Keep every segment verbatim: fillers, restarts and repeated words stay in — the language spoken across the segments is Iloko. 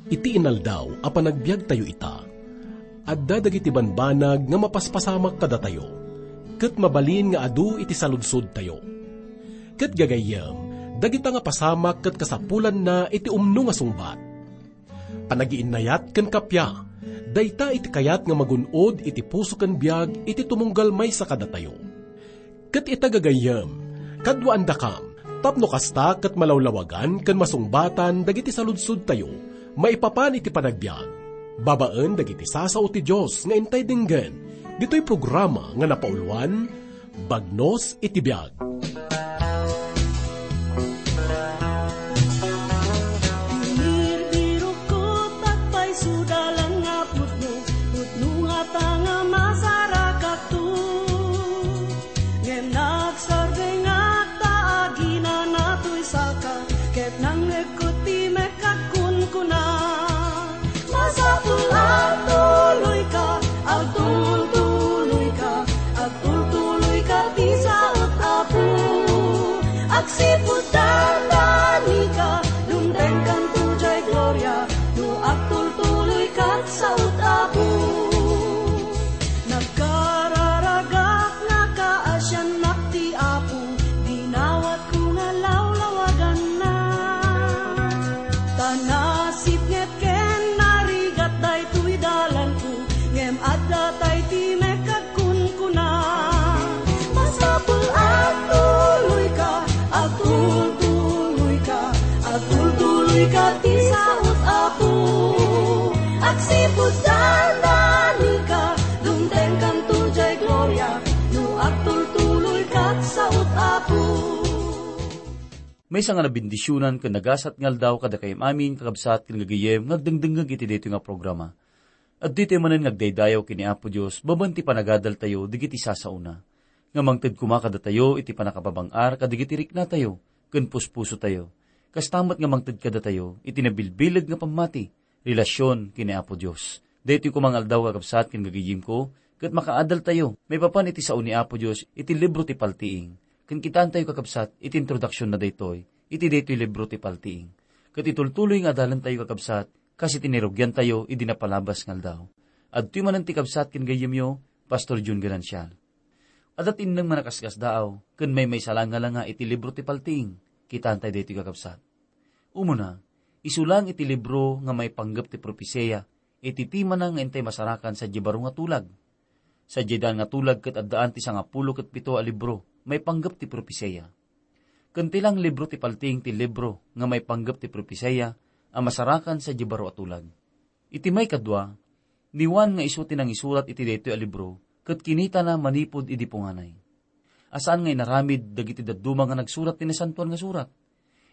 Iti inaldaw a panagbiagtayo ita, adda dagiti banbanag nga mapaspasamak kadatayo, ket mabalin nga adu iti saludsodtayo. Ket gagayyem, dagita nga pasamak ket kasapulanna iti umno nga sungbat. Panagiinnayat ken kappia, dayta iti kayat nga magun-od iti puso ken biag iti tumunggal maysa kadatayo. Ket ita gagayyem, kaduaandakam, tapno kasta ket malawlawagan ken masungbatan dagiti saludsodtayo maipapan iti panagbiag, babaen dagiti sasao ti Dios nga intay denggen ditoy programa nga napauluan, Bagnos iti Biag. Birbirokko, agpayso dalan nga pudno, pudno ngata nga masarakakto. Ngem nagsardengak ta aginana toy saka, ket nangngegko ti mekagkunkuna. Masapul agtuloyka, agtultuloyka, agtultuloyka ti saot, Apo. Agsipud dandanika, dumtengkanto jay gloria, no agtultuloyka ti saot, Apo. Nagkararagak nga kaasiannak ti Apo, dinawatko nga lawlawaganna. Ta nasipnget ken narigat daytoy dalanko, ngem adda tay ti mekagkunkuna. Masapul agtuloyka, agtultuloyka, agtultuloyka ti saot, Apo. Agsipud dandanika, dumtengkanto jay gloria, no agtultuloyka ti saot, Apo. Maysa nga nabendisionan ken nagasat nga aldaw kadakayo amin, kakabsat ken gagayyem nga agdengdengngeg iti daytoy nga programa. Adtoy tayo manen nga agdaydayaw ken ni Apo Dios babaen ti panagadaltayo dagiti sasaona, nga mangted koma kadatayo iti pannakababang-ar kadagiti riknatayo ken puspusotayo. Kasta met nga mangted kadatayo iti nabilbileg nga pammati, relasion ken ni Apo Dios. Daytoy koma nga aldaw, kakabsat ken gagayyemko, ket makaadaltayo maipapan iti sao ni Apo Dios iti libro ti Paltiing. Ken kitaentayo, kakabsat, iti introduction na daytoy, iti daytoy libro ti Paltiing. Ket itultuloy nga adalantayo, kakabsat, kas iti nirugiantayo idi napalabas nga aldaw. Adtoy manen ti kabsat ken gayyemyo, Pastor Jun Ganancial. Adda ti inneng nga nakaskasdaaw ken maymaysa la nga langa iti libro ti Paltiing. Kitaentayo daytoy, kakabsat. Umuna, isu laeng iti libro nga maipanggep ti propesia iti timana nga intay masarakan sadiay baro nga tulag. Sadiay daan nga tulag ket addaan ti sangapulo ket pito a libro maipanggep ti propesia. Ken ti laeng libro ti Paltiing ti libro nga maipanggep ti propesia a masarakan sadiay baro a tulag. Iti maikadua, ni Juan nga isu ti nangisurat iti daytoy a libro ket kinitana manipud idi punganay. A saan nga inaramid dagiti dadduma nga nagsurat ti Nasantoan nga Surat.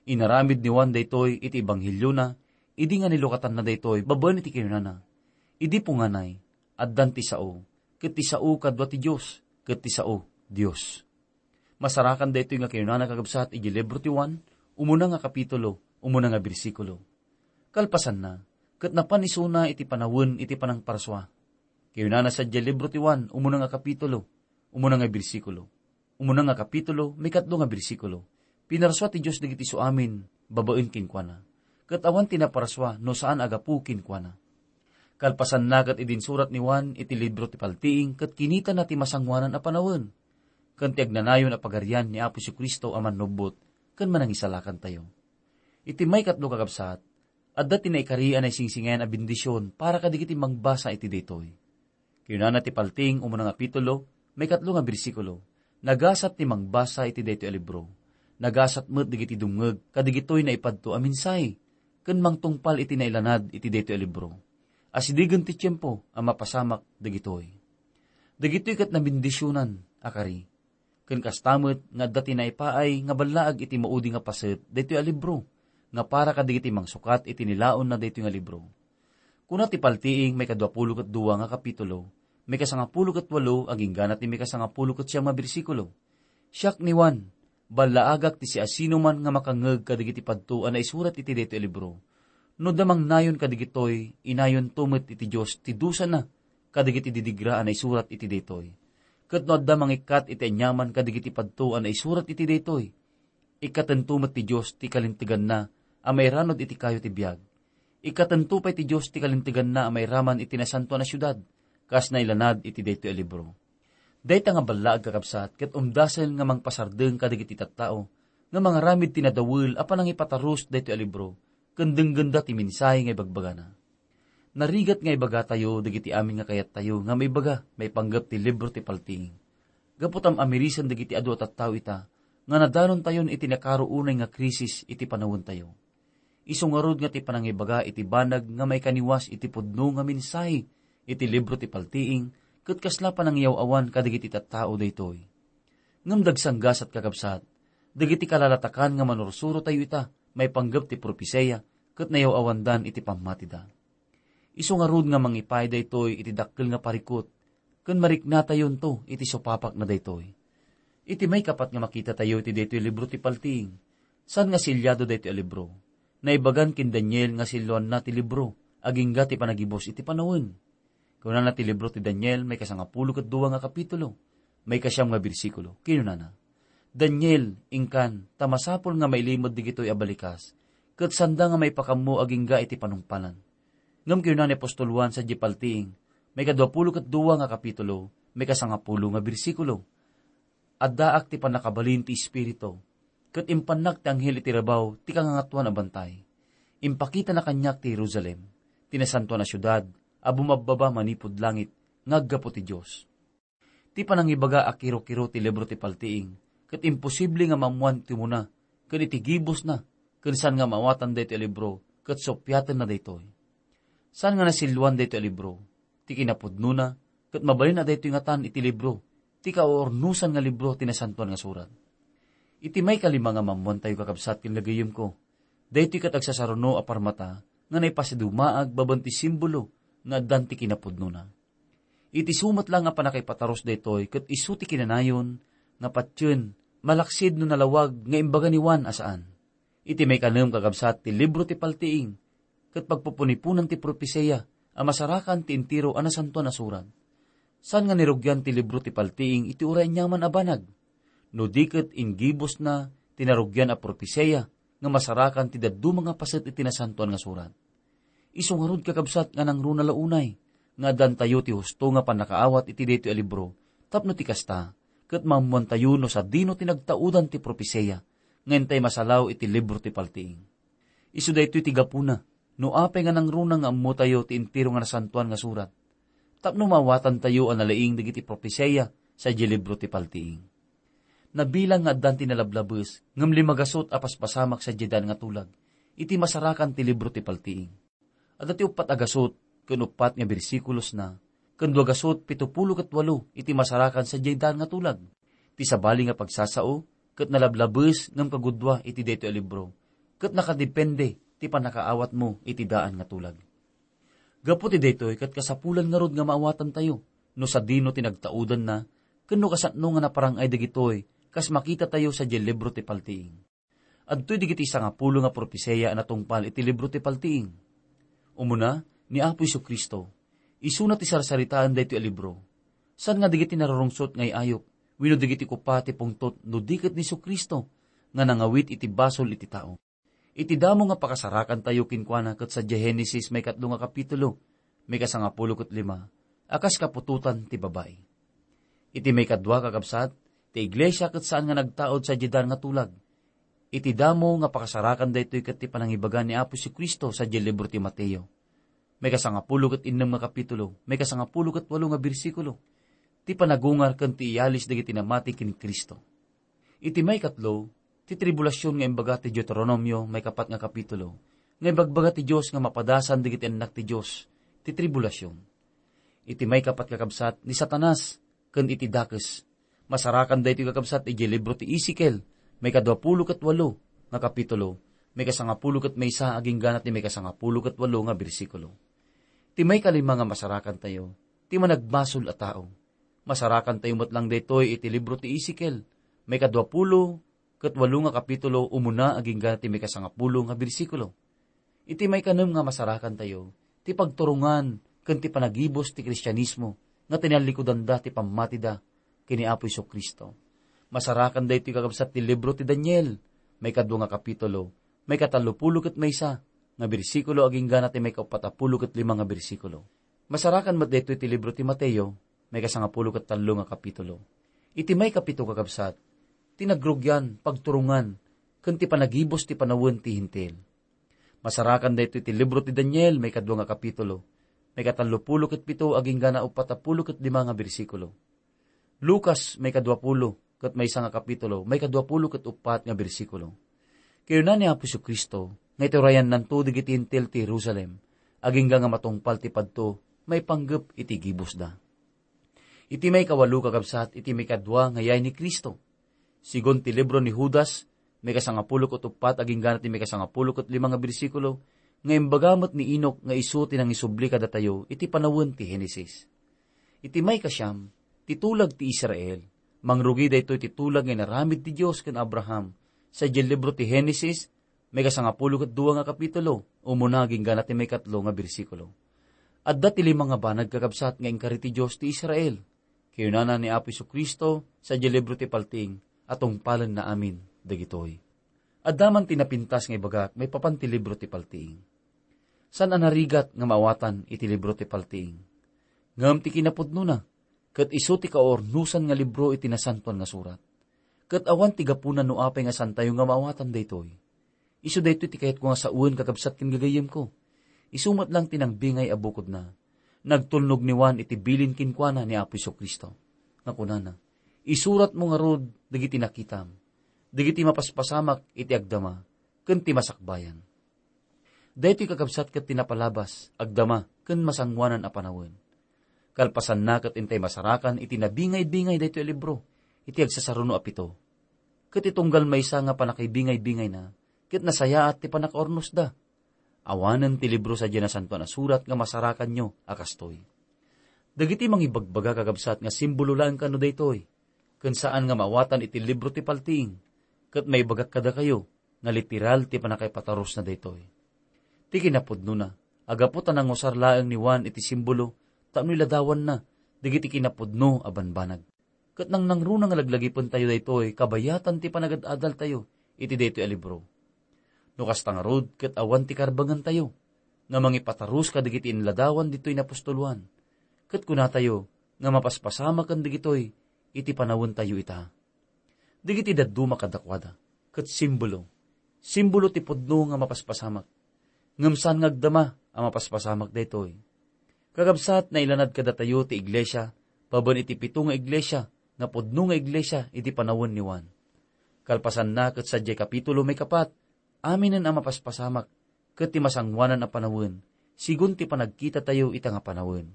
Inaramid ni Juan daytoy iti ebangheliona idi nga nilukatanna daytoy babaen iti kinunana, "Idi punganay, addan ti sao, ket ti sao kadua ti Dios, ket ti sao Dios." Masarakan daytoy nga kinunana, kakabsat, iti libro ti Juan, umuna nga kapitulo, umuna nga bersikulo. Kalpasanna, ket napan isuna iti panawen iti panangparsua. Kinunana sadiay libro ti Juan, umuna nga kapitulo, umuna nga bersikulo. Umuna nga kapitulo, maikatlo nga bersikulo. Pinarsua ti Dios dagiti isuamin babaen kenkuana. Ket awan ti naparsua no saan a gapu kenkuana. Kalpasanna ket idi insurat ni Juan iti libro ti Paltiing ket kinitana ti masangoanan a panawen, ken ti agnanayon a pagarian ni Apo Jesu-Cristo a Mannubbot ken Manangisalakantayo. Iti maikatlo, kakabsat, adda ti naikari a naisingsingayan a bendision para kadagiti mangbasa iti daytoy. Kinunana ti Paltiing, umuna nga kapitulo, maikatlo nga bersikulo, "Nagasat ti mangbasa iti daytoy a libro. Nagasat met dagiti dumngeg kadagitoy naipadto a mensahe ken mangtungpal iti nailanad iti daytoy a libro. Asidegen ti tiempo a mapasamak dagitoy." Dagitoy ket nabendisionan a kari. Ken kasta met nga adda ti naipaay nga ballaag iti maudi nga paset daytoy a libro nga para kadagiti mangsukat iti nilaonna daytoy nga libro. Kuna ti Paltiing, maikadua pulo ket dua nga kapitulo, maikasangapulo ket walo agingga ti maikasangapulo ket siam nga bersikulo, "Siak ni Juan, ballaagak ti siasinoman nga makangngeg kadagiti padto a naisurat iti daytoy a libro. No da mangnayon kadagitoy, inayonto met iti Dios ti dusana kadagiti didigra a naisurat iti daytoy." Ket no adda mangikkat iti aniaman kadagiti padto a naisurat iti daytoy, ikkatento met ti Dios ti kalinteganna a mairanud iti kayo ti biag. Ikkatento pay ti Dios ti kalinteganna a mairaman iti nasantoan a siudad, kas nailanad iti daytoy a libro. Dayta nga ballaag, kakabsat, ket umdasel nga mangpasardeng kadagiti tattao nga mangaramid ti nadawel a panangipatarus daytoy a libro, ken denggenda ti mensahe nga ibagbagana. Narigat nga ibagatayo dagiti amin nga kayattayo nga maibaga maipanggep ti libro ti paltiing. Gapu ta am-amirisen dagiti adu a tattao ita nga nadanontayon iti nakaruonay nga krisis iti panawentayo. Isu ngarud nga ti panangibaga iti banag nga maikaniwas iti pudno nga mensahe iti libro ti paltiing ket kasla panangiyaw-awan kadagiti tattao daytoy. Ngem dagsanggasat, kakabsat, dagiti kalalatakan nga manursurotayo ita maipanggep ti propesia ket nayaw-awandan iti pammatida. Isu ngarud nga mangipay daytoy iti dakkel nga parikut ken mariknatayonto iti supapakna daytoy. Iti maikapat nga makitatayo iti daytoy libro ti paltiing, saan nga silyado daytoy a libro. Naibagan ken Daniel nga silluanna ti libro agingga ti panagibus iti panawen. Kunana ti libro ti Daniel, maikasangapulo ket dua nga kapitulo, maikasiam nga bersikulo. Kinunana, "Daniel, inkan, ta masapul nga mailimud digitoy a balikas, ket sanda nga maipakammo agingga iti panungpalan." Ngem kinuna ni apostol Juan sadiay paltiing, maikaduapulo ket dua nga kapitulo, maikasangapulo nga bersikulo, "Addaak ti pannakabalin ti Espiritu, ket impannak ti anghel iti rabaw ti kangangatuan a bantay. Impakitana kaniak ti Jerusalem, ti nasantoan a siudad a bumabbaba manipud langit nga aggapu ti Dios." Ti panangibaga a kiro-kiro ti libro ti paltiing, ket imposible nga maammoan ti umuna ken iti gibusna, ken saan nga maawatan daytoy a libro ket suppiatenna daytoy. Saan nga nasilluan daytoy a libro ti kinapudnona, ket mabalin a daytoy ngatan iti libro ti kaurnusan nga libro ti Nasantoan nga Surat. Iti maikalima nga maammoantayo, kakabsat ken gagayyemko, daytoy ket agsasaruno a parmata nga naipasidumaag babaen ti simbolo nga addan ti kinapudnona. Iti isu met la nga pannakaipatarus daytoy ket isu ti kinanayon nga patien malaksid no nalawag nga imbaga ni Juan a saan. Iti maikanem, kakabsat, ti libro ti paltiing ket pagpupuniponan ti propesia a masarakan ti entero a Nasantoan a Surat. Saan nga nirugian ti libro ti paltiing iti uray aniaman a banag, no di ket inggibusna ti narugian a propesia nga masarakan ti dadduma nga paset iti Nasantoan nga Surat. Isu ngarud, kakabsat, nga nangruna la unay nga addantayo ti husto nga pannakaawat iti daytoy a libro, tapno ti kasta, ket maammoantayo no sadino ti nagtaudan ti propesia nga intay masalaw iti libro ti paltiing. Isu daytoy ti gapuna no apay nga nangruna nga ammotayo ti entero nga Nasantoan nga Surat, tapno maawatantayo a nalaing dagiti propesia sadiay libro ti paltiing. Nabilang nga addan ti nalablabes ngem lima gasut a paspasamak sadiay daan nga tulag iti masarakan ti libro ti paltiing. Adda ti uppat a gasut ken uppat nga bersikulosna, ken dua gasut pito pulo ket walo iti masarakan sadiay daan nga tulag. Ti sabali nga pagsasao ket nalablabes ngem kagudua iti daytoy a libro, ket nakadepende ti pannakaawatmo iti daan nga tulag. Gapu ti daytoy ket kasapulan ngarud nga maawatantayo no sadino ti nagtaudanna, ken no kasano nga naparang-ay dagitoy kas makitatayo sadiay libro ti paltiing. Adtoy dagiti sangapulo nga propesia a natungpal iti libro ti paltiing. Umuna, ni Apo Jesu-Cristo. Isuna ti sarsaritaen daytoy a libro. Saan nga dagiti narurungsot nga ay-ayup wenno dagiti kupa ti pungtot no di ket ni Jesu-Cristo nga nangawit iti basol iti tao. Iti damo nga pakasarakantayo kenkuana ket sadiay Genesis maikatlo nga kapitulo, maikasangapulo ket lima, a kas kaputotan ti babai. Iti maikadua, kakabsat, ti iglesia ket saan nga nagtaud sadiay daan nga tulag. Iti damo nga pakasarakan daytoy ket ti panangibaga ni Apo Jesu-Cristo sadiay libro ti Mateo, maikasangapulo ket innem nga kapitulo, maikasangapulo ket walo nga bersikulo, ti panagungar ken ti iyalis dagiti namati ken Cristo. Iti maikatlo, ti tribulasion nga imbaga ti Deuteronomio, maikapat nga kapitulo, nga ibagbaga ti Dios nga mapadasan dagiti annak ti Dios ti tribulasion. Iti maikapat, kakabsat, ni Satanas ken iti dakes. Masarakan daytoy, kakabsat, idiay libro ti Ezekiel, maikaduapulo ket walo nga kapitulo, maikasangapulo ket maysa agingga ti maikasangapulo ket walo nga bersikulo. Ti maikalima nga masarakantayo, ti managmasol a tao. Masarakantayo met lang daytoy iti libro ti Ezekiel, maikaduapulo ket walo nga kapitulo, umuna agingga ti maikasangapulo nga bersikulo. Iti maikanem nga masarakantayo, ti pagturongan ken ti panagibus ti Kristianismo nga tinallikudanda ti pammatida, ken ni Apo Jesu-Cristo. Masarakan daytoy, kakabsat, ti libro ti Daniel, maikadua nga kapitulo, maikatallopulo ket maysa nga bersikulo agingga na ti maikaupatapulo ket lima nga bersikulo. Masarakan met daytoy ti libro ti Mateo, maikasangapulo ket tallo nga kapitulo. Iti maikapito, kakabsat, ti nagrugian, pagturongan, ken ti panagibus ti panawen ti Hentil. Masarakan daytoy ti libro ti Daniel, maikadua nga kapitulo, maikatallopulo ket pito agingga na upatapulo ket lima nga bersikulo. Lucas, maikaduapulo ket maysa nga kapitulo, maikaduapulo ket uppat nga bersikulo. Kinuna ni Apo Jesu-Cristo nga iturayannanto dagiti Hentil ti Jerusalem, agingga nga matungpal ti padto maipanggep iti gibusda. Iti maikawalo, kakabsat, iti maikadua nga yay ni Cristo. Sigun ti libro ni Judas, maikasangapulo ket uppat agingga na ti maikasangapulo ket lima nga bersikulo, nga imbaga met ni Enoc nga isu ti nangisubli kadatayo iti panawen ti Genesis. Iti maikasiam, ti tulag ti Israel. Mangrugi daytoy ti tulag nga inaramid ti Dios ken Abraham. Sadiay libro ti Genesis, maikasangapulo ket dua nga kapitulo, umuna agingga na ti maikatlo nga bersikulo. Adda ti lima nga banag, kakabsat, nga inkari ti Dios ti Israel. Kinunana ni Apo Jesu-Cristo sadiay libro ti Paltiing a tungpalenna amin dagitoy. Adda man ti napintas nga ibagak maipapan ti libro ti Paltiing. Saan a narigat nga maawatan iti libro ti Paltiing. Ngem ti kinapudnona, ket isu ti kaurnosan nga libro iti Nasantoan nga Surat. Ket awan ti gapuna no apay nga saantayo nga maawatan daytoy. Isu daytoy ti kayatko nga sawen, kakabsat ken gagayyemko. Isu met lang ti nangbingay a bukodna. Nagtulnog ni Juan iti bilin kenkuana ni Apo Jesu-Cristo, nga kunana, "Isuratmo ngarud dagiti nakitam, dagiti mapaspasamak iti agdama, ken ti masakbayan." Daytoy, kakabsat, ket ti napalabas, agdama, ken masangoanan a panawen. Kalpasanna, ket intay masarakan iti nabingay-bingay daytoy a libro iti agsasaruno a pito. Ket itunggal maysa nga pannakaibingay-bingayna, ket nasayaat ti pannakaurnosda. Awanen ti libro sadiay Nasantoan a Surat nga masarakanyo a kastoy. Dagiti mangibagbaga, kakabsat, nga simbolo laeng kano daytoy, ken saan nga maawatan iti libro ti Paltiing, ket maibagak kadakayo nga literal ti pannakaipatarusna daytoy. Ti kinapudnona, a gapu ta nangusar laeng ni Juan iti simbolo tapno iladawanna dagiti kinapudno a banbanag. Ket nangnangruna nga laglagipentayo daytoy kabayatan ti panagad-adaltayo iti daytoy a libro. No kasta ngarud, ket awan ti karbengentayo nga mangipatarus kadagiti inladawan ditoy ni apostol Juan, ket kunatayo nga mapaspasamaken dagitoy iti panawentayo ita. Dagiti dadduma kadakuada ket simbolo, simbolo ti pudno nga mapaspasamak. Ngem saan nga agdama a mapaspasamak daytoy. Kakabsat, nailanad kadatayo ti iglesia babaen iti pito nga iglesia nga pudno nga iglesia iti panawen ni Juan. Kalpasanna, ket sadiay kapitulo maikapat, aminen a mapaspasamak ket ti masangoanan a panawen, sigun ti panagkitatayo ita nga panawen.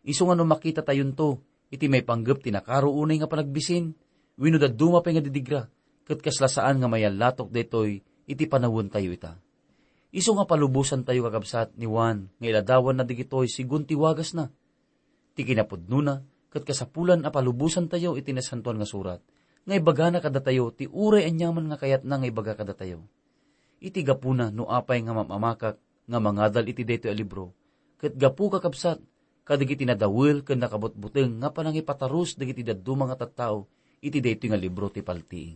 Isu nga no makitatayonto iti maipanggep ti nakaro unay nga panagbisin, wenno dadduma pay nga didigra, ket kasla saan nga mayallatok daytoy iti panawentayo ita. Isu nga palubosantayo, kakabsat, ni Juan nga iladawanna dagitoy sigun ti wagasna. Ti kinapudnona, ket kasapulan a palubosantayo iti Nasantoan nga Surat, nga ibagana kadatayo ti uray aniaman nga kayatna nga ibaga kadatayo. Iti gapuna, no apay nga mamamakak nga mangadal iti daytoy a libro, ket gapu, kakabsat, kadagiti nadawel ken nakabutbuteng nga panangipatarus dagiti dadduma nga tattao iti daytoy nga libro ti Paltiing.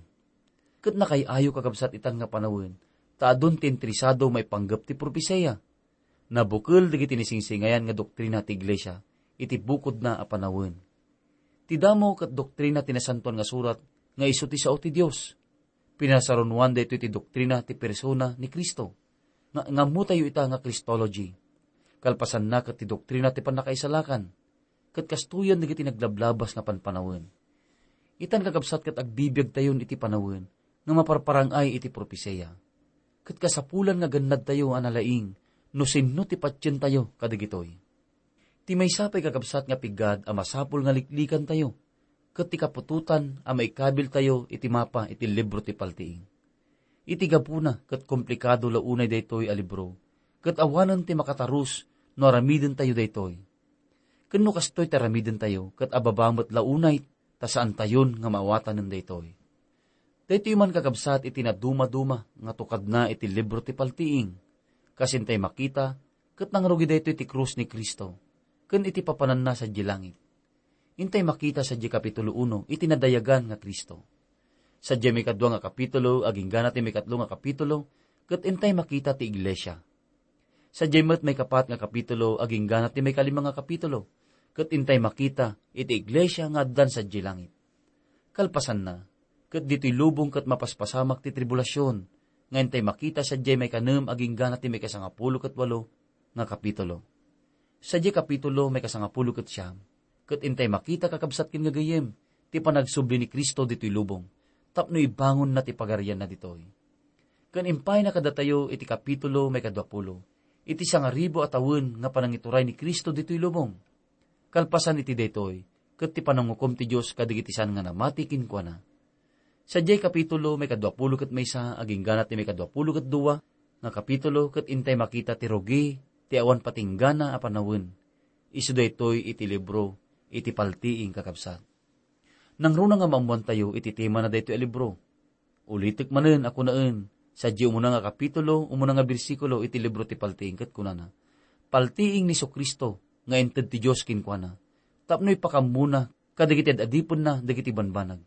Ket nakay-ayo, kakabsat, itan nga panawen, ta adun ti interesado maipanggep ti propesia. Nabukel dagiti nisingsingayan nga doktrina ti iglesia iti bukodna a panawen. Ti damo ket doktrina ti Nasantoan nga Surat nga isu ti sao ti Dios. Pinasarunoan daytoy ti doktrina ti persona ni Cristo. Nga, nga ammotayo ita nga Christology. Kalpasanna ket ti doktrina ti pannakaisalakan. Ket kastoyen dagiti naglablabas nga panpanawen. Itan, kakabsat, ket agbibiagtayon iti panawen nga maparparang-ay iti propesia. Ket kasapulan nga gannadtayo a nalaing no sinno ti patientayo kadagitoy. Ti maysa pay, kakabsat, nga piggad a masapul nga liklikantayo, ket ti kaputotan a maikabiltayo iti mapa iti libro ti Paltiing. Iti gapuna, ket komplikado la unay daytoy a libro, ket awanen ti makatarus no aramidentayo daytoy. Ken no kastoy ti aramidentayo, ket ababa met la unay ta saantayon nga maawatanen daytoy. Daytoy man, kakabsat, iti nadumaduma nga tukadna iti libro ti Paltiing. Kas intay makita, ket nangrugi daytoy ti krus ni Cristo, ken iti papananna sadiay langit. Intay makita sadiay kapitulo uno iti nadayagan nga Cristo. Sadiay maikadua nga kapitulo agingga na ti maikatlo nga kapitulo, ket intay makita ti iglesia. Sadiay met maikapat nga kapitulo agingga na ti maikalima nga kapitulo, ket intay makita iti iglesia nga addan sadiay langit. Kalpasanna, ket ditoy lubong ket mapaspasamak ti tribulasion, nga intay makita sadiay maikanem agingga na ti maikasangapulo ket walo nga kapitulo. Sadiay kapitulo maikasangapulo ket siam, ket intay makita, kakabsat ken gagayyem, ti panagsubli ni Cristo ditoy lubong, tapno ibangonna ti pagarianna ditoy. Ken impayna kadatayo iti kapitulo maikaduapulo, iti sangaribu a tawen nga panangituray ni Cristo ditoy lubong. Kalpasan iti daytoy, ket ti panangukom ti Dios kadagiti saan nga namati kenkuana. Sadiay kapitulo maikaduapulo ket maysa agingga na ti maikaduapulo ket dua nga kapitulo, ket intay makita ti rugi ti awan patinggana a panawen. Isu daytoy iti libro iti Paltiing, kakabsat. Nangruna nga maammoantayo iti tema na daytoy a libro. Ulitek manen a kunaen, sadiay umuna nga kapitulo, umuna nga bersikulo iti libro ti Paltiing ket kunana, "Paltiing ni Jesu-Cristo nga inted ti Dios kenkuana, tapno ipakammona kadagiti ad-adipenna dagiti banbanag.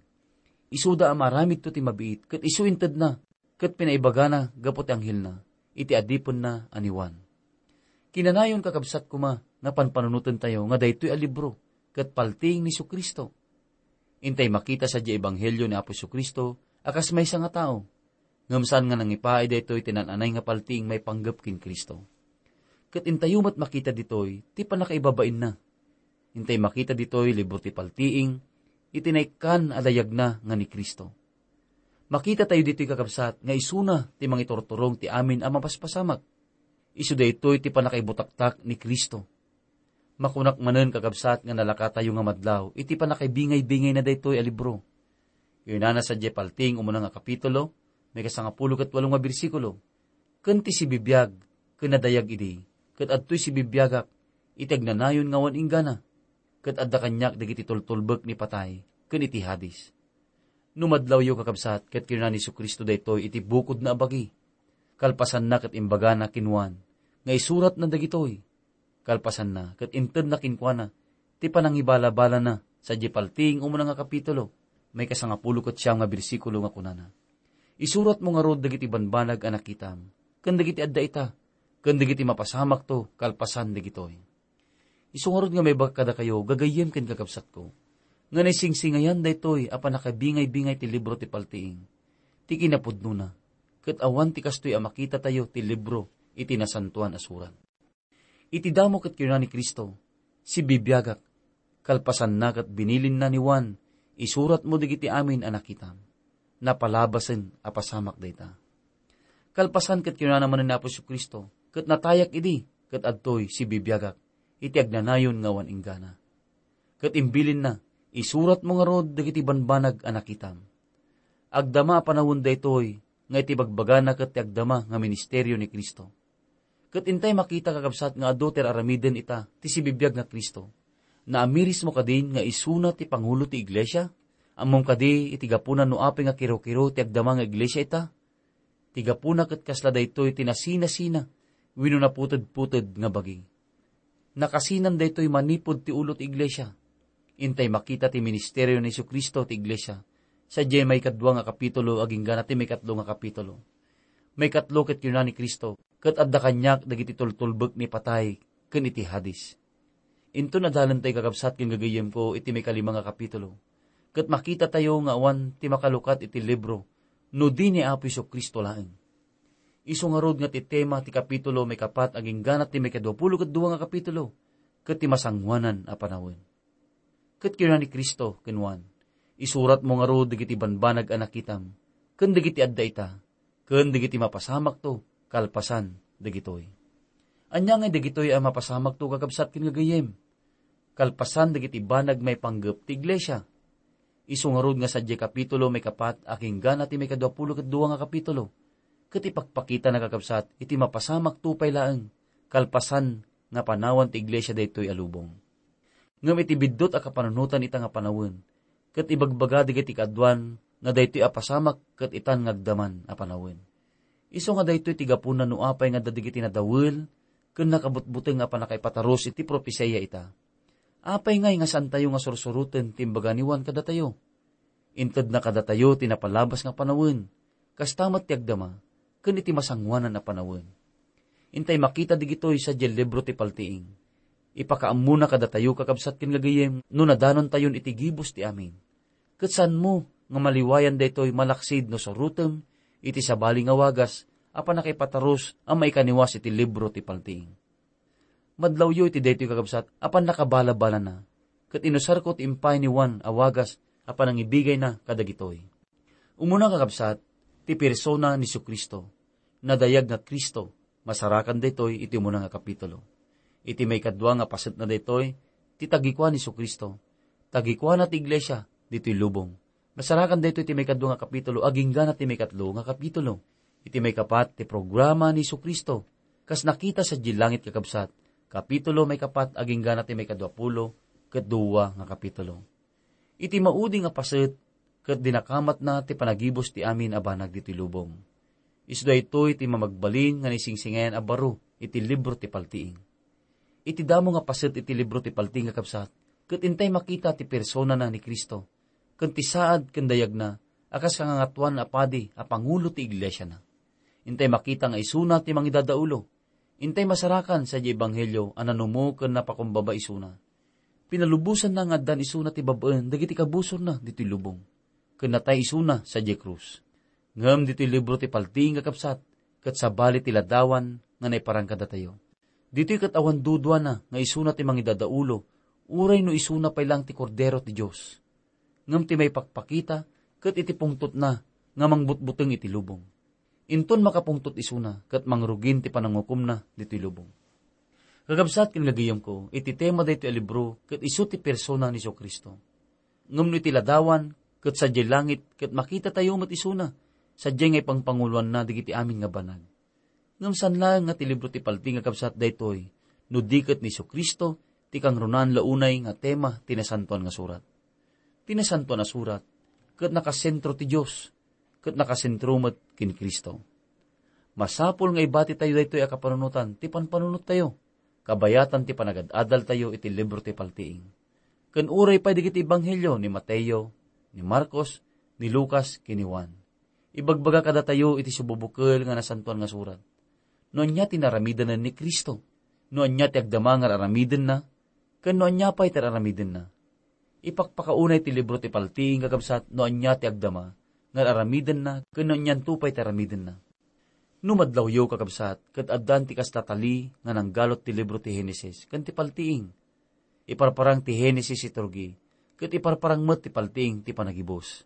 Isuda a maaramidto ti mabiit, ket isu intedna ket pinaibagana gapu ti anghelna iti adipenna a ni Juan." Kinanayon, kakabsat, koma nga panpanunotentayo nga daytoy a libro ket paltiing ni Jesu-Cristo. Intay makita sadiay ebanghelio ni Apo Jesu-Cristo a kas maysa nga tao, ngem saan nga nangipaay daytoy ti naan-anay nga paltiing maipanggep ken Cristo. Ket intayo met makita ditoy ti pannakaibabainna. Intay makita ditoy libro ti paltiing iti naikkan a dayagna nga ni Cristo. Makitatayo ditoy, kakabsat, nga isuna ti mangiturturong ti amin a mapaspasamak. Isu daytoy ti pannakaibutaktak ni Cristo. Makunak manen, kakabsat, nga nalakatayo nga madlaw iti pannakaibingay-bingay na daytoy a libro. Kunana sadiay paltiing umuna nga kapitulo, maikasangapulo ket walo nga bersikulo, "Ken ti sibibiag ken nadayag idi, ket adtoy sibibiagak iti agnanayon nga awan inggana, ket adda kaniak dagiti tultulbek ni patay ken iti Hades." No madlawyo, kakabsat, ket kinuna ni Jesu-Cristo daytoy iti bukodna a bagi. Kalpasanna, ket imbagana ken Juan nga isuratna dagitoy. Kalpasanna, ket intedna kenkuana ti panangibalabalana sadiay paltiing umuna nga kapitulo, maikasangapulo ket siam nga bersikulo, nga kunana, "Isuratmo ngarud dagiti banbanag a nakitam, ken dagiti adda ita, ken dagiti mapasamakto kalpasan dagitoy." Isu ngarud nga maibagak kadakayo, gagayyem ken kakabsatko, nga naisingsingayan daytoy a pannakabingay-bingay ti libro ti paltiing, ti kinapudnona, ket awan ti kastoy a makitatayo ti libro iti Nasantoan a Surat. Iti damo ket kinuna ni Cristo, "Sibibiagak." Kalpasanna, ket binilinna ni Juan, "Isuratmo dagiti amin a nakitam." Napalabasen a pasamak dayta. Kalpasan, ket kinunana manen ni Apo Jesu-Cristo, "Ket natayak idi, ket adtoy sibibiagak iti agnanayon nga awan inggana." Ket imbilinna, "Isuratmo ngarud dagiti banbanag a nakitam." Agdama a panawen daytoy nga iti bagbagana ket ti agdama nga ministerio ni Cristo. Ket intay makita, kakabsat, nga adu ti ar-aramiden ita ti sibibiag nga Cristo. Naamirismo kadin nga isuna ti pangulo ti iglesia? Ammom kadi iti gapuna no apay nga kiro-kiro ti agdama nga iglesia ita? Ti gapuna ket kasla daytoy ti nasinasina wenno naputed-puted nga bagi. Nakasinan daytoy manipud ti ulo ti iglesia. Intay makita ti ministerio ni Jesu-Cristo ti iglesia sadiay maikadua nga kapitulo agingga na ti maikatlo nga kapitulo. Maikatlo ket kinuna ni Cristo, "Ket adda kaniak dagiti tultulbek ni patay ken iti Hades." Inton adalentayo, kakabsat ken gagayyemko, iti maikalima nga kapitulo, ket makitatayo nga awan ti makalukat iti libro no di ni Apo Jesu-Cristo laeng. Isu ngarud nga ti tema ti kapitulo maikapat agingga na ti maikaduapulo ket dua nga kapitulo, ket ti masangoanan a panawen. Ket kinuna ni Cristo ken Juan, "Isuratmo ngarud dagiti banbanag a nakitam, ken dagiti adda ita, ken dagiti mapasamakto kalpasan dagitoy." Ania ngay dagitoy a mapasamakto, kakabsat ken gagayyem? Kalpasan dagiti banag maipanggep ti iglesia. Isu ngarud nga sadiay kapitulo maikapat agingga na ti maikaduapulo ket dua nga kapitulo, ket ipakpakitana, kakabsat, iti mapasamakto pay laeng kalpasan nga panawan ti iglesia daytoy a lubong. Ngem iti biddut a kapanunotan ita nga panawen, ket ibagbaga dagiti kaaduan nga daytoy a pasamak ket itan nga agdaman a panawen. Isu nga daytoy ti gapuna no apay nga adda dagiti nadawel ken nakabutbuteng a pannakaipatarus iti propesia ita. Apay ngay nga saantayo nga sursuroten ti imbaga ni Juan kadatayo? Intedna kadatayo ti napalabas nga panawen, kasta met ti agdama ken iti masangoanan a panawen. Intay makita digitoy sadiay libro ti paltiing. Ipakaammona kadatayo, kakabsat ken gagayem, no nadanontayon iti gibus ti amin. Ket saanmo nga maliwayan daytoy malaksid no surotem iti sabali nga wagas a pannakaipatarus a maikaniwas iti libro ti paltiing. Madlawyo iti daytoy, kakabsat, a pannakabalabalana, ket inusarko ti impay ni Juan a wagas a panangibigayna kadagitoy. Umuna, kakabsat, ti persona ni Jesu-Cristo. Nadayag nga Cristo, masarakan daytoy iti umuna nga kapitulo. Iti maikadua nga pasetna daytoy, ti tagikua ni Jesu-Cristo. Tagikuana ti iglesia ditoy lubong. Masarakan daytoy ti maikadua nga kapitulo, agingga na ti maikatlo nga kapitulo. Iti maikapat ti programa ni Jesu-Cristo, kas nakita sadiay langit, kakabsat, kapitulo maikapat, agingga na ti maikaduapulo ket dua nga kapitulo. Iti maudi nga paset, ket dinakamatna ti panagibus ti amin a banag ditoy lubong. Isu daytoy ti mamagbalin nga naisingsingir a baro iti libro ti paltiing. Iti damo nga paset iti libro ti paltiing, kakabsat, ket intay makita ti personana ni Cristo, ken ti saad ken dayagna a kas kangangatuan a padi a pangulo ti iglesiana. Intay makita nga isuna ti mangidadaulo. Intay masarakan sadiay ebanghelio a nanumo ken napakumbaba isuna. Pinalubosanna nga addan isuna ti bab-en dagiti kabusorna ditoy lubong, ken natay isuna sadiay krus. Ngem ditoy libro ti paltiing, kakabsat, ket sabali ti ladawan nga naiparang kadatayo. Ditoy ket awan duduana nga isuna ti mangidadaulo, uray no isuna pay laeng ti Kordero ti Dios. Ngem ti maipakpakita ket iti pungtotna nga mangbutbuteng iti lubong. Inton makapungtot isuna ket mangrugin ti panangukomna ditoy lubong. Kakabsat ken gagayemko, iti tema daytoy a libro ket isu ti persona ni Jesu-Cristo. Ngem no iti ladawan ket sadiay langit ket makitatayo met isuna, sadiay nga ipangpanguloanna dagiti amin nga banag. Ngem saan laeng nga ti libro ti paltiing, kakabsat, daytoy, no di ket ni Jesu-Cristo ti kangrunaan la unay nga tema ti Nasantoan nga Surat. Ti Nasantoan a Surat ket nakasentro ti Dios, ket nakasentro met ken Cristo. Masapul nga ibatitayo daytoy a kapanunotan ti panpanunottayo, kabayatan ti panagad-adaltayo iti libro ti paltiing. Ken uray pay dagiti ebanghelio ni Mateo, ni Marcos, ni Lucas, ken ni Juan. Ibagbaga kadatayo iti sububukel nga Nasantoan nga Surat no ania ti naramidanen ni Cristo, no ania ti agdama nga ar-aramidenna, ken no ania pay ti ar-aramidenna. Ipakpakaunay ti libro ti paltiing, kakabsat, no ania ti agdama nga ar-aramidenna ken no anianto pay ti aramidenna. No madlawyo, kakabsat, ket addan ti kasta tali nga nanggalot ti libro ti Henesis ken ti paltiing. Iparparang ti Henesis iti rugi, ket iparparang met ti paltiing ti panagibus.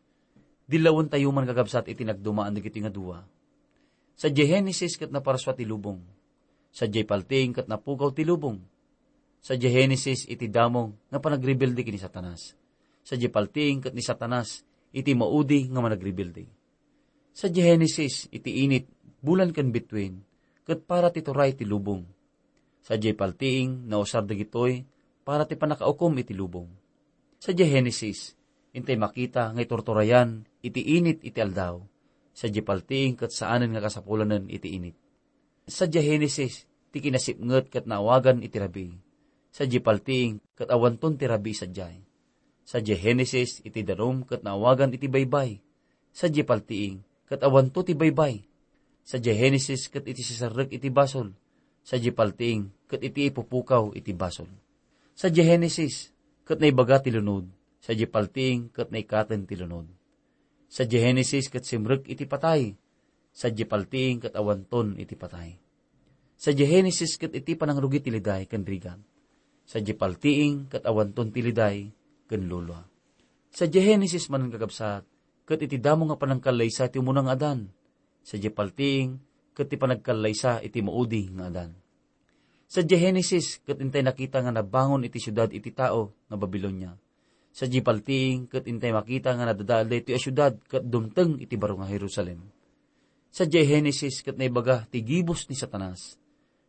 Dillawentayo man, kakabsat, iti nagdumaan dagiti nga dua. Sadiay Henesis ket naparsua ti lubong. Sadiay paltiing ket napukaw ti lubong. Sadiay Henesis iti damo nga panagrebelde ken ni Satanas. Sadiay paltiing ket ni Satanas iti maudi nga managrebelde. Sadiay Henesis iti init, bulan ken bituin, ket para ti turay ti lubong. Sadiay paltiing, nausar dagitoy para ti pannakaukom iti lubong. Sadiay Henesis, intay makita nga iturturayan iti init iti aldaw. Sadiay paltiing ket saanen nga kasapulanen iti init. Sadiay Henesis, ti kinasipnget ket naawagan iti rabii. Sadiay paltiing ket awanton ti rabii sadiay. Sadiay Henesis, iti danum ket naawagan iti baybay. Sadiay paltiing ket awanto ti baybay. Sadiay Henesis ket iti siserrek iti basol. Sadiay paltiing ket iti ipupukaw iti basol. Sadiay Henesis ket naibaga ti lunod. Sadiay paltiing ket naikaten ti lunod. Sadiay Henesis ket simrek iti patay. Sadiay paltiing ket awanton iti patay. Sadiay Henesis ket iti panangrugi ti liday ken rigat. Sadiay paltiing ket awanton ti liday ken lulua. Sadiay Henesis manen, kakabsat, ket iti damo nga panangkallaysa ti umuna nga Adan. Sadiay paltiing ket ti panagkallaysa iti maudi nga Adan. Sadiay Henesis ket intay nakita nga nabangon iti siudad iti tao nga Babilonia. Sadiay paltiing ket intay makita nga nadadael daytoy a siudad ket dumteng iti baro nga Jerusalem. Sadiay Henesis ket naibaga ti gibus ni Satanas.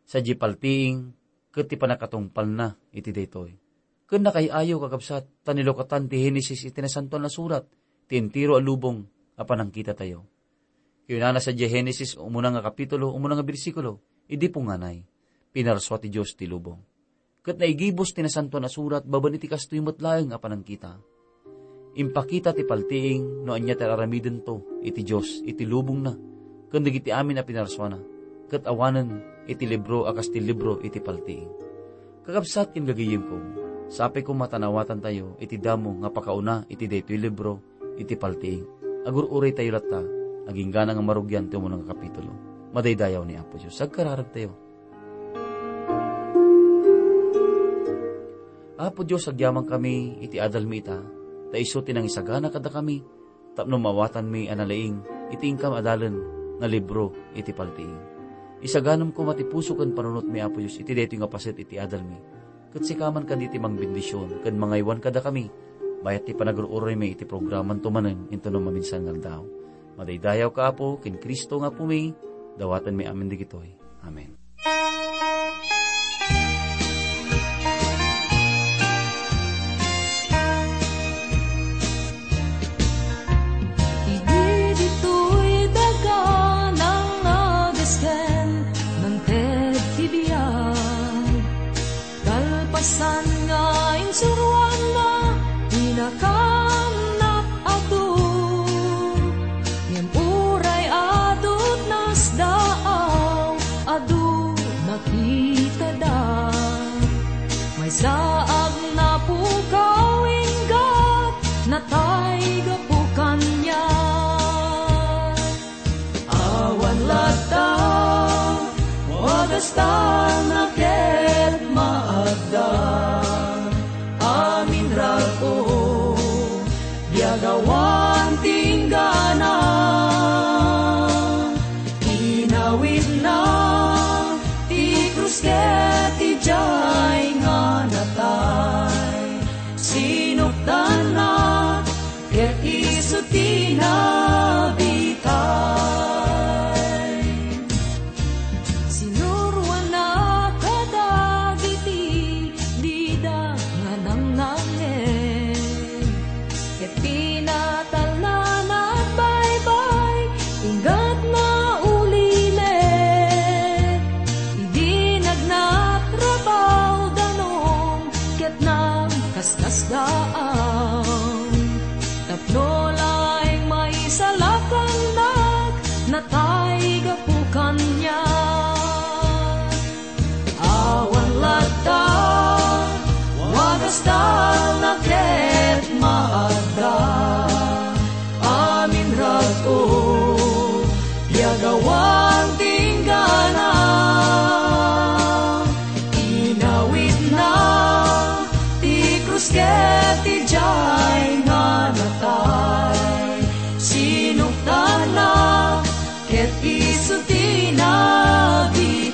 Sadiay paltiing ket ti pannakatungpalna iti daytoy. Ken nakaay-ayo, kakabsat, ta nilukatan ti Henesis iti Nasantoan a Surat ti entero a lubong a panangkitatayo. Kinunana sadiay Henesis, umuna nga kapitulo, umuna nga bersikulo, idi punganay, pinarsua ti Dios ti lubong. ket naigibus ti Nasantoan a Surat babaen iti kastoy met laeng a panangkita. Impakita ti paltiing no ania ti ar-aramidento iti Dios iti lubongna ken dagiti amin a pinarsuana, ket awanen iti libro a kas ti libro iti paltiing. Kakabsat ken gagayemko, sapay koma ta naawatantayo iti damo nga pakauna iti daytoy libro iti paltiing. Agur-uraytayo latta, agingga nga marugian ti umuna nga kapitulo. Madaydayaw ni Apo Dios. Agkararagtayo. Apo Dios, agyamankami iti adalmi ita, ta isu ti nangisagana kadakami, tapno maawatanmi a nalaing iti inkam adalen nga libro iti paltiing. Isaganam koma ti puso ken panunotmi, Apo Dios, iti daytoy nga paset iti adalmi. Ket sika man kadi ti mangbendision ken mangaywan kadakami, bayat ti panagur-uraymi iti programanto manen intono maminsan nga aldaw. Madaydayawka, Apo, ken Cristo nga Apomi, dawatenmi amin dagitoy. Amen. Idi ditoy daga nangadesken, nangted ti biag. Kalpasan nga insuroanna, inakannak adu. Ngem uray adu ti nasdaaw, adu nakitada. Maysa a napukaw, inggat natay gapu kaniak. Awan latta, wagastan a ket maagda. Amin rag-o, biagawan ti inggana. Inawidna ti krus ket idiay nga natay. Sinukdanna ket isu ti nabitay. Sinuroanna kadagiti dida nga nangnangngeg, ket pinatalna nagbaybay, inggatna ulimek. Idi nagnatrabaw danum, ket nagkaskasdaan. Tapno laeng maisalakannak, natay gapu kaniak. Awan latta, wagastan a ket maagda. Amin rag-o, biagawan ti inggana. Inawidna ti krus ket idiay nga natay. Sinukdanna ket isu ti nabitay.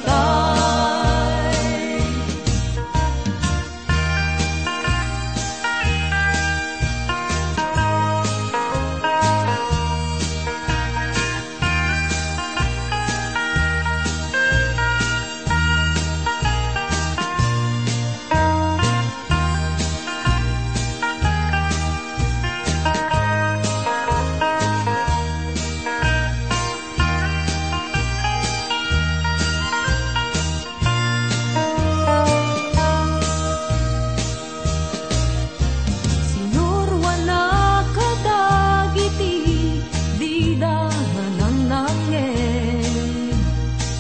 Sinuroanna kadagiti dida nga nangnangngeg,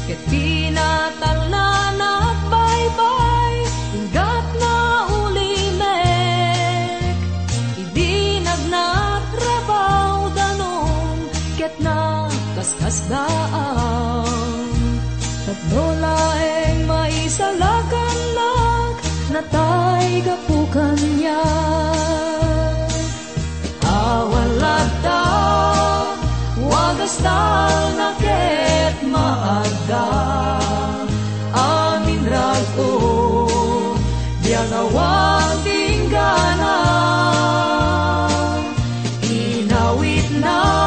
ket pinatalna nagbaybay, inggatna ulimek. Idi nagnatrabaw danum, ket nagkaskasdaan. Tapno laeng maisalakannak, natay gapu kaniak. Awan latta, wagastan a ket maagda. Amin rag-o, biagawan ti inggana. Inawidna